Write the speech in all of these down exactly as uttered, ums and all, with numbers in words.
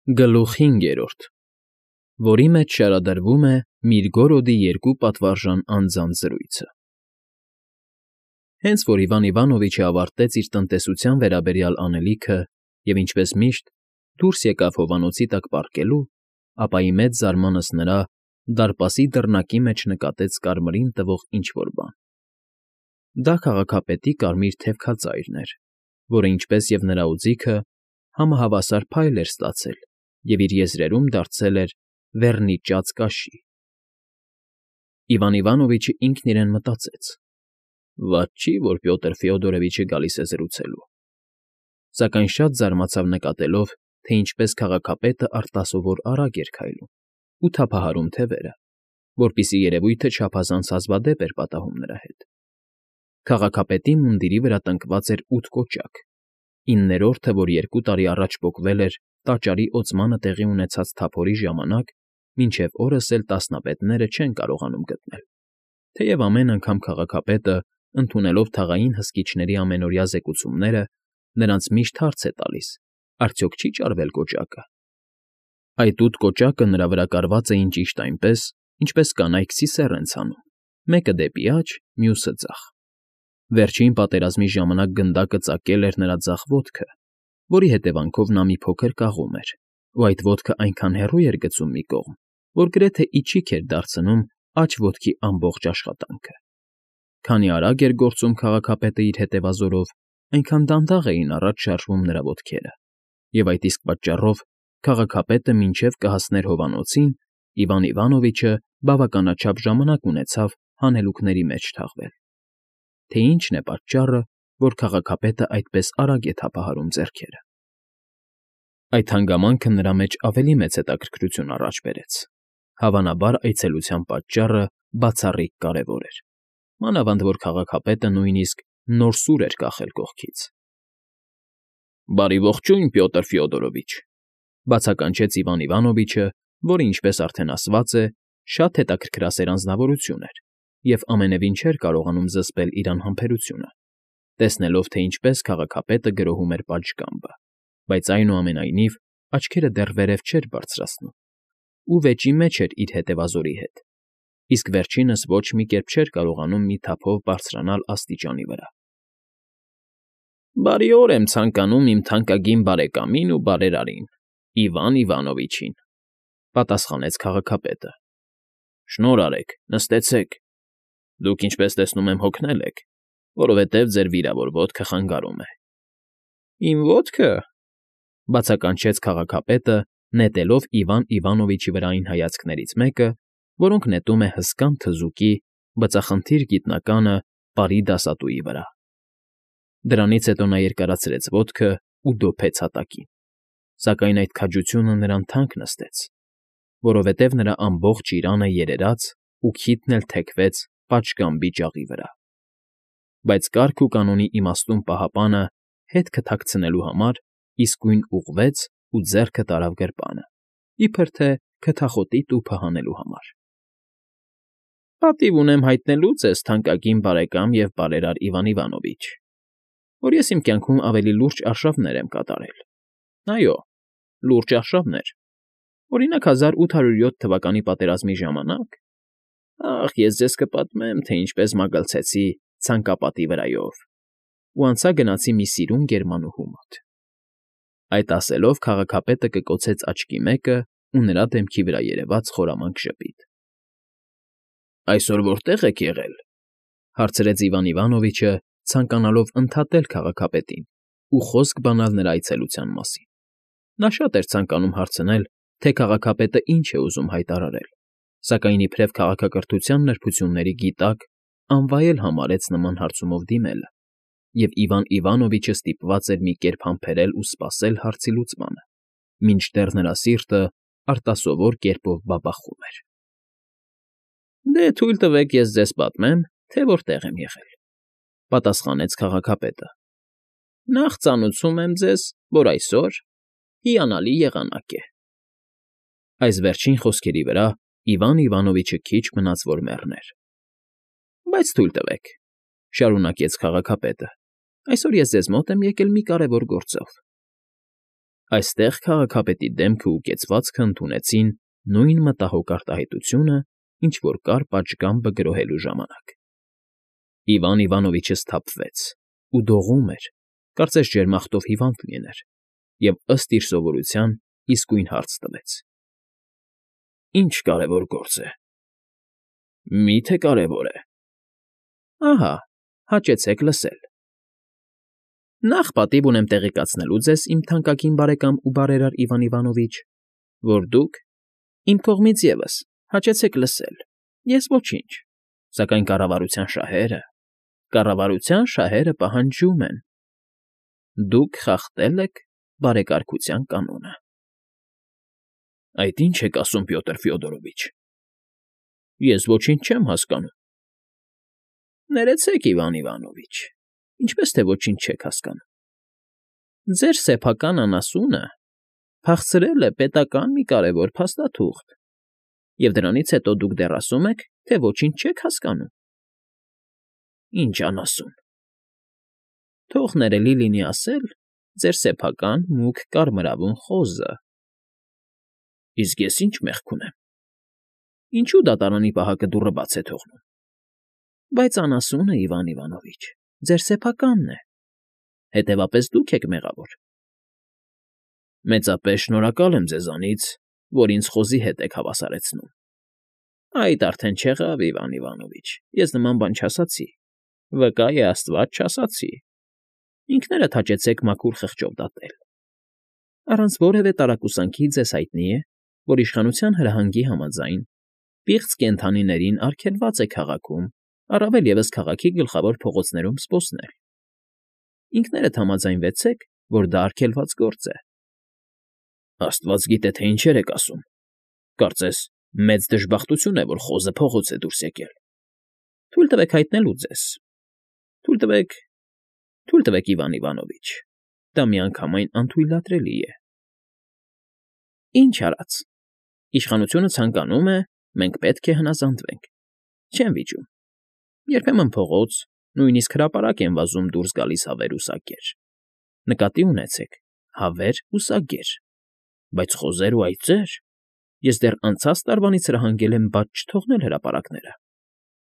Գլուխ հինգերորդ, որի մեջ շարադրվում է Միրգորոդի երկու պատվարժան անձանց զրույցը։ Հենց որ Իվան Իվանովիչը ավարտեց իր տնտեսության վերաբերյալ անելիքը և, ինչպես միշտ, դուրս եկավ հովանոցի տակ պառկելու, ապա ի մեծ զարմանքս նրա դարպասի դռնակի մեջ նկատեց կարմրին տվող ինչ֊որ բան. դա քաղաքապետի կարմիր թևքածայրն էր, որը, ինչպես և նրա օձիքը, համահավասար փայլ էր ստացել և իր եզրերում դարձել էր վերնիճած կաշի։ Իվան Իվանովիչը ինքն իրեն մտածեց. «Վատ չի, որ Պյոտր Ֆյոդորովիչը գալիս է զրուցելու»։ Սակայն շատ զարմացավ նկատելով, թե ինչպես քաղաքապետը արտասովոր արագ էր քայլում ու թափահարում թևերը, որպեսզի երևույթը չափազանց հազվադեպ էր պատահում նրա հետ։ Քաղաքապետի մունդիրի վրա տնկված էր ութ կոճակ, իններորդը, որ երկու տարի առաջ պոկվել էր տաճարի օծմանը տեղի ունեցած թափորի ժամանակ, մինչև օրս էլ տասնապետները չեն կարողանում գտնել, թեև ամեն անգամ քաղաքապետը, ընդունելով թաղային հսկիչների ամենօրյա զեկուցումները, նրանց միշտ հարց է տալիս. արդյոք չի՞ ճարվել կոճակը։ Այդ ութ կոճակը նրա վրա կարված էին ճիշտ այնպես, ինչպես կանայք սիսեռ են ցանում, մեկը դեպի աջ, մյուսը՝ ձախ։ Վերջին պատերազմի ժամանակ գնդակը ծակել էր նրա ձախ ոտքը, որի հետևանքով նա մի փոքր կաղում էր, ու այդ ոտքը այնքան հեռու էր գցում մի կողմ, որ գրեթե իջիկ էր դարձնում աջ ոտքի ամբողջ աշխատանքը։ Քանի արագ էր գործում քաղաքապետը իր հետևազորով, այնքան դանդաղ էին առաջ շարժվում նրա ոտքերը, և այդ իսկ պատճառով քաղաքապետը մինչև կհասներ հովանոցին, Իվան Իվանովիչը բավականաչափ ժամանակ ունեցավ հանելուկների մեջ թաղվել։ Թե ի՞նչն է պատճառը, որ քաղաքապետը այդպես արագ է թափահարում ձեռքերը։ Այդ հանգամանքը նրա մեջ ավելի մեծ հետաքրքրություն առաջ բերեց։ Հավանաբար այցելության պատճառը բացառիկ կարևոր էր, մանավանդ որ քաղաքապետը նույնիսկ նոր սուր էր կախել կողքից։ «Բարի ողջույն, Պյոտր Ֆյոդորովիչ», բացականչեց Իվան Իվանովիչը, որը, ինչպես արդեն ասված է, շատ հետաքրքրասեր անձնավորություն էր և ամենևին չէր կարողանում զսպել իր անհամբերությունը, տեսնելով, թե ինչպես քաղաքապետը գրոհում էր պատշգամբը, բայց, այնուամենայնիվ, աչքերը դեռ վերև չէր բարձրացնում ու վեճի մեջ էր իր հետևազորի հետ, իսկ վերջինս ոչ մի կերպ չէր կարողանում մի թափով բարձրանալ աստիճանի վրա։ «Բարի օր եմ ցանկանում իմ թանկագին բարեկամին ու բարերարին, Իվան Իվանովիչին», պատասխանեց քաղաքապետը։ «Շնորհ արեք, նստեցեք։ Դուք, ինչպես տեսնում եմ, հոգնել եք, որովհետև ձեր վիրավոր ոտքը խանգարում է»։ «Իմ ոտքը,֊ բացականչեց քաղաքապետը, նետելով Իվան Իվանովիչի վրա այն հայացքներից մեկը, որոնք նետում է հսկան թզուկի բծախնդիր գիտնականը պարի դասատուի վրա։ Դրանից հետո նա երկարացրեց ոտքն ու դոփեց հատակին, սակայն այդ քաջությունը նրան թանկ նստեց, որովհետև նրա ամբողջ իրանը երերաց ու քիթն էլ թեքվեց պատշգամբի ջաղի վրա։ Բայց կարգ ու կանոնի իմաստուն պահապանը հետքը թաքցնելու համար իսկույն ուղղվեց ու ձեռքը տարավ գրպանը, իբր թե քթախոտի տուփը հանելու համար։ «Պատիվ ունեմ հայտնելու ձեզ, թանկագին բարեկամ և բարերար Իվան Իվանովիչ, որ ես իմ կյանքում ավելի լուրջ արշավներ եմ կատարել։ Այո, լուրջ արշավներ։ Օրինակ, հազար ութ հարյուր յոթ թվականի պատերազմի ժամանակ… Ախ, ես ձեզ կպատմեմ, թե ինչպես մագլցեցի ցանկապատի վրայով ու անցա գնացի մի սիրուն գերմանուհու մոտ»։ Այդ ասելով քաղաքապետը կկոցեց աչքի մեկը ու նրա դեմքի վրա երևաց խորամանկ ժպիտ։ «Այսօր որտե՞ղ եք եղել,֊ հարցրեց Իվան Իվանովիչը, ցանկանալով ընդհատել քաղաքապետին ու խոսք բանալ նրա այցելության մասին։ Նա շատ էր ցանկանում հարցնել, թե քաղաքապետը ինչ է ուզում հայտարարել, սակայն իբրև քաղաքակրթության նրբությունների գիտակ անվայել համարեց նման հարցումով դիմելը, և Իվան Իվանովիչը ստիպված էր մի կերպ համբերել ու սպասել հարցի լուծմանը, մինչդեռ նրա սիրտը արտասովոր կերպով բաբախում էր։ «Դե թույլ տվեք ես ձեզ պատմեմ, թե որտեղ եմ եղել,֊ պատասխանեց քաղաքապետը։ Նախ ծանուցում եմ ձեզ, որ այսօր հիանալի եղանակ է»։ Այս վերջին խոսքերի վրա Իվան Իվանովիչը քիչ մնաց որ մեռներ։ «Բայց թույլ տվեք,֊ շարունակեց քաղաքապետը,֊ այսօր ես ձեզ մոտ եմ եկել մի կարևոր գործով»։ Այստեղ քաղաքապետի դեմքն ու կեցվածքը ընդունեցին նույն մտահոգ արտահայտությունը, ինչ որ կար պատշգամբը գրոհելու ժամանակ։ Իվան Իվանովիչը սթափվեց ու դողում էր, կարծես ջերմախտով հիվանդ լիներ, և, ըստ իր սովորության, իսկույն հարց տվեց. ֊ Ի՞նչ կարևոր գործ է։ ֊ Մի՞թե կարևոր է։ ֊ Ահա, հաճեցեք լսել։ Նախ պատիվ ունեմ տեղեկացնելու ձեզ, իմ թանկագին բարեկամ ու բարերար Իվան Իվանովիչ, որ դուք, իմ կողմից ևս, հաճեցեք լսել, ես ոչինչ, սակայն կառավարության շահերը, կառավարության շահերը պահանջում են. դուք խախտել եք բարեկարգության կանոնը։ ֊ Այդ ի՞նչ եք ասում, Պյոտր Ֆյոդորովիչ, ես ոչինչ չեմ հասկանում։ ֊ Ներեցեք, Իվան Իվանովիչ, ինչպես թե ոչինչ չեք հասկանում։ Ձեր սեփական անասունը փախցրել է պետական մի կարևոր փաստաթուղթ, և դրանից հետո դուք դեռ ասում եք, թե ոչինչ չեք հասկանում։ ֊ Ի՞նչ անասուն։ ֊ Թող ներելի լինի ասել ձեր սեփական մուգ կարմրավուն խոզը։ ֊ Իսկ ես ի՞նչ մեղք ունեմ։ ֊ Ինչո՞ւ դատարանի պահակը դուռը բաց է թողնում։ ֊ Բայց անասունը, Իվան Իվանովիչ, ձեր սեփականն է, հետևաբար դուք եք մեղավոր։ ֊ Մեծապես շնորհակալ եմ ձեզանից, որ ինձ խոզի հետ եք հավասարեցնում։ ֊ Այդ արդեն չեղավ, Իվան Իվանովիչ, ես նման բան չասացի, վկա է աստված, չասացի։ Ինքներդ հաճեցեք մաքուր խղճով դատել։ Առանց որևէ տարակուսանքի ձեզ հայտնի է, որ իշխանության հրահանգի համաձայն պիղծ կենդանիներին արգելված է քաղաքում, առավել ևս քաղաքի գլխավոր փողոցներում սպոսնել։ Ինքներդ համաձայնվեցեք, որ դա արգելված գործ է։ ֊ Աստված գիտե, թե ինչեր եք ասում։ Կարծես մեծ դժբախտություն է, որ խոզը փողոց է դուրս եկել։ ֊ Թույլ տվեք հայտնելու ձեզ։ ֊ Թույլ տվեք, թույլ տվեք, Իվան Իվանովիչ, դա միանգամայն անթույլատրելի է։ ֊ Ինչ արած։ Իշխանությունը ցանկանում է, մենք պետք է հնազանդվենք։ Չեմ վիճում։ Երբեմն փողոց, նույնիսկ հրապարակ են վազում դուրս գալիս հավեր ու սագեր։ Նկատի ունեցեք, հավեր ու սագեր։ Բայց խոզեր ու այծեր… Ես դեռ անցած տարվանից հրահանգել եմ բաց չթողնել հրապարակները,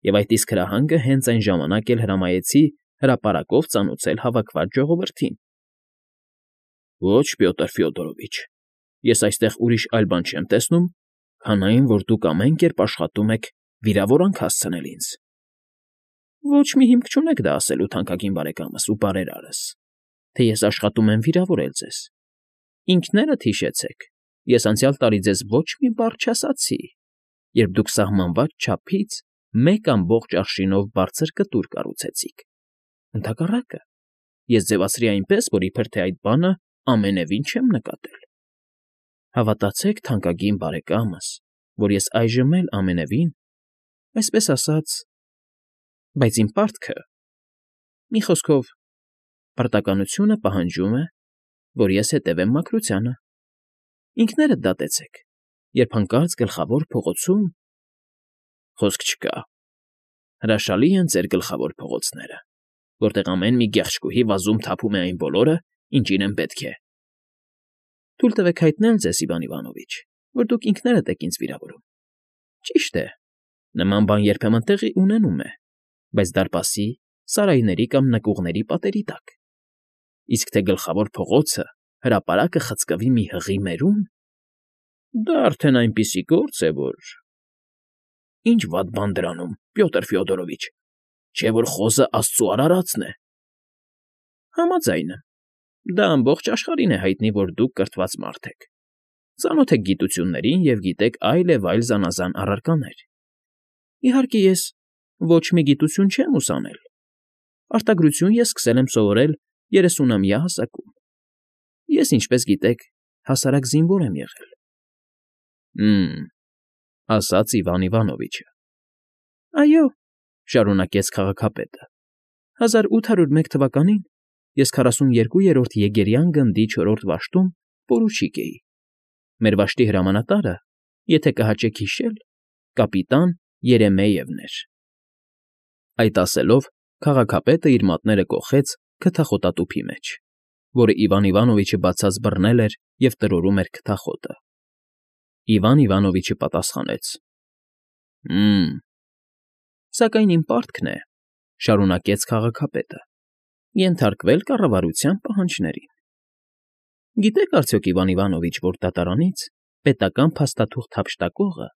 և այդ իսկ հրահանգը հենց այն ժամանակ էլ հրամայեցի հրապարակով ծանոթացնել հավաքված ժողովրդին։ ֊ Ոչ, Պյոտր Ֆյոդորովիչ, ես այստեղ ուրիշ այլ բան չեմ տեսնում, քան այն, որ դուք ամեն կերպ աշխատում եք վիրավորանք հասցնել ինձ։ ֊ Ոչ մի հիմք չունեք դա ասելու, թանկագին բարեկամս ու բարերարս, թե ես աշխատում եմ վիրավորել ձեզ։ Ինքներդ հիշեցեք, ես անցյալ տարի ձեզ ոչ մի բառ չասացի, երբ դուք սահմանված չափից մեկ ամբողջ արշինով բարձր կտուր կառուցեցիք։ Ընդհակառակը, ես ձևացրի այնպես, որ իբր թե այդ բանը ամենևին չեմ նկատել։ Հավատացեք, թանկագին բարեկամս, որ ես այժմ էլ ամենևին, այսպես ասած… Բայց իմ պարտքը… Մի խոսքով, պարտականությունը պահանջում է, որ ես հետևեմ մաքրությանը։ Ինքներդ դատեցեք, երբ հանկարծ գլխավոր փողոցում… Խոսք չկա։ Հրաշալի են ձեր գլխավոր փողոցները, որտեղ ամեն մի գեղչկուհի վազում թափում է այն բոլորը, ինչ իրեն պետք է։ Թույլ տվեք հայտնել ձեզ, Իվան Իվանովիչ, որ դուք ինքներդ եք ինձ վիրավորում։ Ճիշտ է, նման բան երբեմն տեղի ունենում է, բայց դարպասի, սարայների կամ նկուղների պատերի տակ։ Իսկ թե գլխավոր փողոցը, հրապարակը խցկվի մի հղի մերում… Դա արդեն այնպիսի գործ է, որ… Ինչ վատ բան դրանում, Պյոտր Ֆյոդորովիչ, չէ՞ որ խոզը աստծու արարածն է։ ֊ Համաձայն եմ, դա ամբողջ աշխարհին է հայտնի, որ դուք կրթված մարդ եք, ծանոթ եք գիտություններին և գիտեք այլ և այլ զանազան առարկաներ։ Իհարկե, ես ոչ մի գիտություն չեմ ուսանել. արտագրություն ես սկսել եմ սովորել երեսունամյա հասակում։ Ես, ինչպես գիտեք, հասարակ զինվոր եմ եղել։ ֊ Հը՜մ,֊ ասաց Իվան Իվանովիչը։ ֊ Այո,֊ շարունակեց քաղաքապետը,֊ հազար ութ հարյուր մեկ թվականին ես քառասուներկուերորդ Եգերյան գնդի չորրորդ վաշտում պորուչիկ էի։ Մեր վաշտի հրամանատարը, եթե կհաճեք հիշել, կապիտան Երեմեևն էր։ Այդ ասելով, քաղաքապետը իր մատները կոխեց քթախոտատուփի մեջ, որը Իվան Իվանովիչը բացած բռնել էր և տրորում էր քթախոտը։ Իվան Իվանովիչը պատասխանեց. «Հը՜մ… Սակայն իմ պարտքն է,֊ շարունակեց քաղաքապետը,֊ ենթարկվել կառավարության պահանջներին։ Գիտեք արդյոք, Իվան Իվանովիչ, որ դատարանից պետական փաստաթուղթ հափշտակողը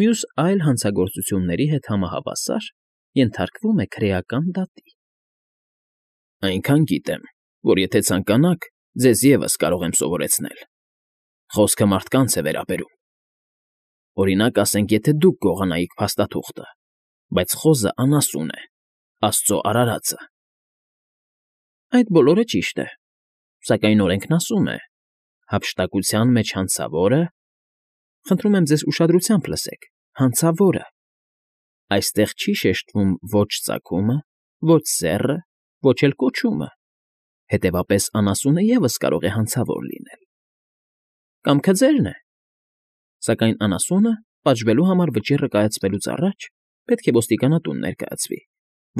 մյուս այլ հանցագործությունների հետ համահավասար ենթարկվում է քրեական դատի»։ «Այնքան գիտեմ, որ եթե ցանկանաք, ձեզ ևս կարող եմ սովորեցնել. խոսքը մարդկանց է վերաբերում։ Օրինակ, ասենք, եթե դուք գողանայիք փաստաթուղթը, բայց խոզը անասուն է, աստծո արարածը։ Այդ բոլորը ճիշտ է, սակայն օրենքն ասում է. հափշտակության մեջ հանցավորը… Խնդրում եմ ձեզ ուշադրությամբ լսեք, հանցավորը… Այստեղ չի շեշտվում ոչ ծագումը, ոչ սեռը, ոչ էլ կոչումը, հետևաբար անասունը ևս կարող է հանցավոր լինել։ Կամքը ձերն է, սակայն անասունը պատժվելու համար վճիռը կայացվելուց առաջ պետք է ոստիկանատուն ներկայացվի,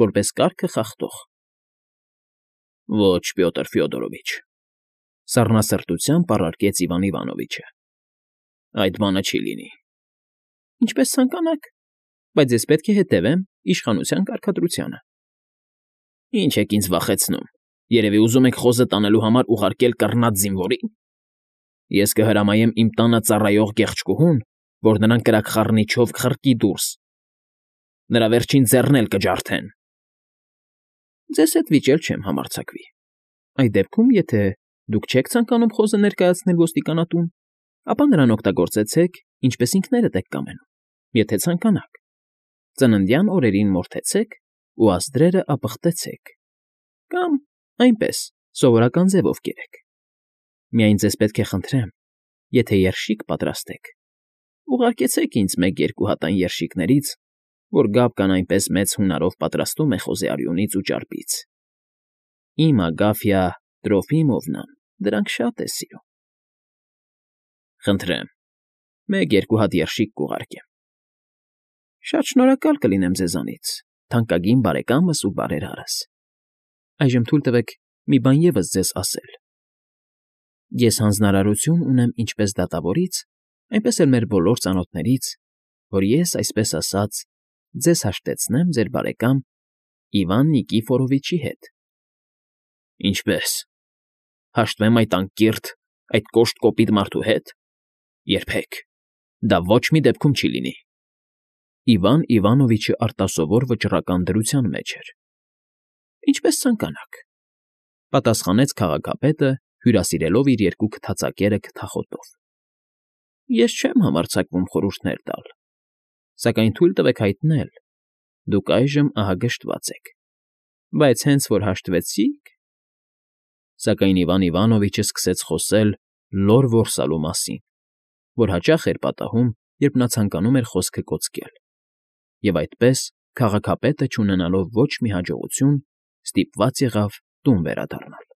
որպես կարգը խախտող։ Ոչ, Պյոտր Ֆյոդորովիչ,֊ սառնասրտությամբ առարկեց Իվան Իվանովիչը,֊ այդ բանը չի լինի։ Ինչպես ցանկանաք, բայց ես պետք է հետևեմ իշխանության կարգադրությանը։ Ինչ եք ինձ վախեցնում, երևի ուզում եք խոզը տանելու համար ուղարկել կռնած զինվորի՞ն։ Ես կհրամայեմ իմ տանը ծառայող գեղեցկուհուն, որ նրան կրակխառնի չով կխրկի դուրս, նրա վերջին ձեռն էլ կջարդեն։ Ձեզ հետ վիճել չեմ համարձակվի։ Այդ դեպքում, եթե դուք չեք ցանկանում խոզը ներկայացնել ոստիկանատուն, ապա նրան օգտագործեցեք, ինչպես ինքներդ եք կամենում, եթե ցանկանաք, ծննդյան օրերին մորթեցեք ու ազդրերը ապխտեցեք, կամ այնպես սովորական ձևով կերեք։ Միայն ձեզ պետք է խնդրեմ, եթե երշիկ պատրաստեք, ուղարկեցեք ինձ մեկ֊երկու հատ այն երշիկներից, որ Գաբկան այնպես մեծ հունարով պատրաստում է խոզի արյունից ու ճարպից։ Իմ Ագաֆյա Տրոֆիմովնան դրանք շատ է սիրում։ Խնդրեմ, մեկ֊երկու հատ երշիկ կուղարկեմ։ Շատ շնորհակալ կլինեմ ձեզանից, թանկագին բարեկամս ու բարերարս։ Այժմ թույլ տվեք մի բան ևս ձեզ ասել։ Ես հանձնարարություն ունեմ ինչպես դատավորից, այնպես էլ մեր բոլոր ծանոթներից, որ ես, այսպես ասած, ձեզ հաշտեցնեմ ձեր բարեկամ Իվան Նիկիֆորովիչի հետ։ Ինչպե՞ս, հաշտվեմ այդ անկիրթ, այդ կոշտ կոպիտ մարդու հետ։ Երբեք, դա ոչ մի դեպքում չի լինի։ Իվան Իվանովիչը արտասովոր վճռական դրության մեջ էր։ Ինչպես ցանկանաք,֊ պատասխանեց քաղաքապետը, հյուրասիրելով իր երկու քթածակերը քթախոտով։ Ես չեմ համարձակվում խորհուրդներ տալ, սակայն թույլ տվեք հայտնել. դուք այժմ ահագշտված եք, բայց հենց որ հաշտվեցիք… Սակայն Իվան Իվանովիչը սկսեց խոսել լոր որսալու մասին, որ հաճախ էր պատահում, երբ նա ցանկանում էր խոսքը կոծկել, և այդպես, քաղաքապետը, չունենալով ոչ մի հաջողություն, ստիպված եղավ տուն վերադառնալ։